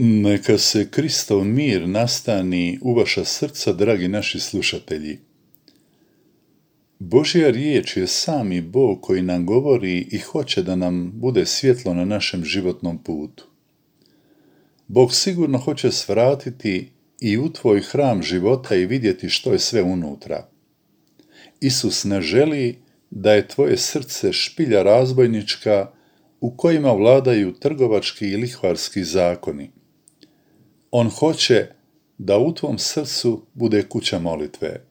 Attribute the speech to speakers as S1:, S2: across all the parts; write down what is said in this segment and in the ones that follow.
S1: Neka se Kristov mir nastani u vaša srca, dragi naši slušatelji. Božja riječ je sami Bog koji nam govori i hoće da nam bude svjetlo na našem životnom putu. Bog sigurno hoće svratiti i u tvoj hram života i vidjeti što je sve unutra. Isus ne želi da je tvoje srce špilja razbojnička u kojima vladaju trgovački i lihvarski zakoni. On hoće da u tvom srcu bude kuća molitve.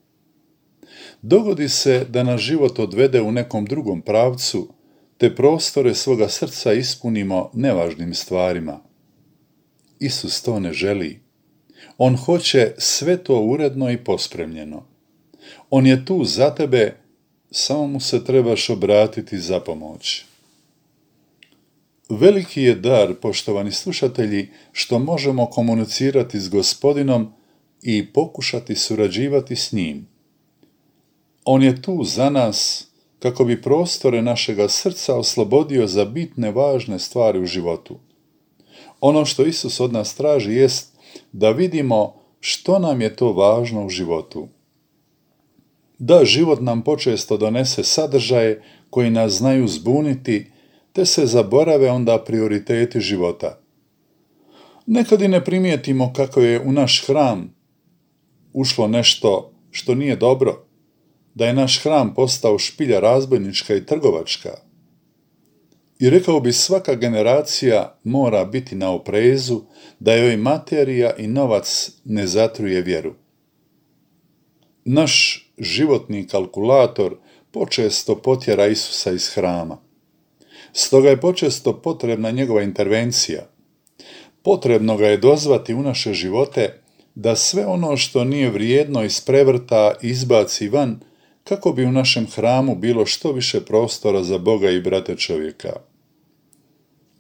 S1: Dogodi se da nas život odvede u nekom drugom pravcu, te prostore svoga srca ispunimo nevažnim stvarima. Isus to ne želi. On hoće sve to uredno i pospremljeno. On je tu za tebe, samo mu se trebaš obratiti za pomoć. Veliki je dar, poštovani slušatelji, što možemo komunicirati s Gospodinom i pokušati surađivati s njim. On je tu za nas kako bi prostore našega srca oslobodio za bitne važne stvari u životu. Ono što Isus od nas traži jest da vidimo što nam je to važno u životu. Da, život nam počesto donese sadržaje koji nas znaju zbuniti, te se zaborave onda prioriteti života. Nekad i ne primijetimo kako je u naš hram ušlo nešto što nije dobro, da je naš hram postao špilja razbojnička i trgovačka. I rekao bi, svaka generacija mora biti na oprezu da joj materija i novac ne zatruje vjeru. Naš životni kalkulator počesto potjera Isusa iz hrama. Stoga je počesto potrebna njegova intervencija. Potrebno ga je dozvati u naše živote da sve ono što nije vrijedno isprevrta i izbaci van, kako bi u našem hramu bilo što više prostora za Boga i brata čovjeka.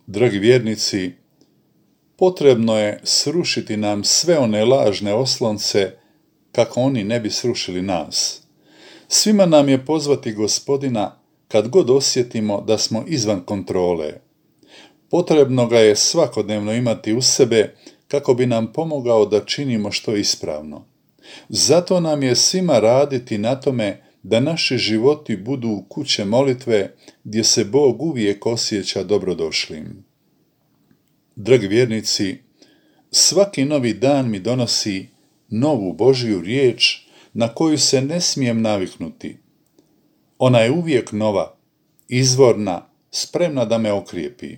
S1: Dragi vjernici, potrebno je srušiti nam sve one lažne oslonce kako oni ne bi srušili nas. Svima nam je pozvati Gospodina kad god osjetimo da smo izvan kontrole. Potrebno ga je svakodnevno imati u sebe kako bi nam pomogao da činimo što je ispravno. Zato nam je svima raditi na tome da naši životi budu kuće molitve gdje se Bog uvijek osjeća dobrodošlim. Dragi vjernici, svaki novi dan mi donosi novu Božju riječ na koju se ne smijem naviknuti. Ona je uvijek nova, izvorna, spremna da me okrijepi.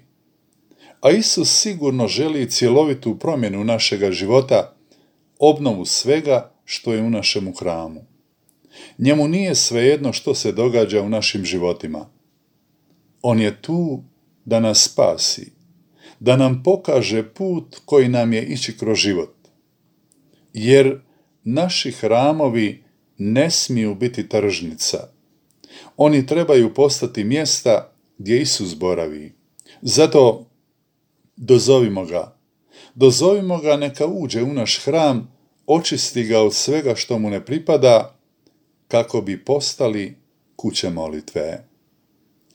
S1: A Isus sigurno želi cjelovitu promjenu našega života, obnovu svega što je u našemu hramu. Njemu nije svejedno što se događa u našim životima. On je tu da nas spasi, da nam pokaže put koji nam je ići kroz život. Jer naši hramovi ne smiju biti tržnica. Oni trebaju postati mjesta gdje Isus boravi. Zato dozovimo ga. Dozovimo ga neka uđe u naš hram, očisti ga od svega što mu ne pripada, kako bi postali kuće molitve.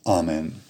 S1: Amen.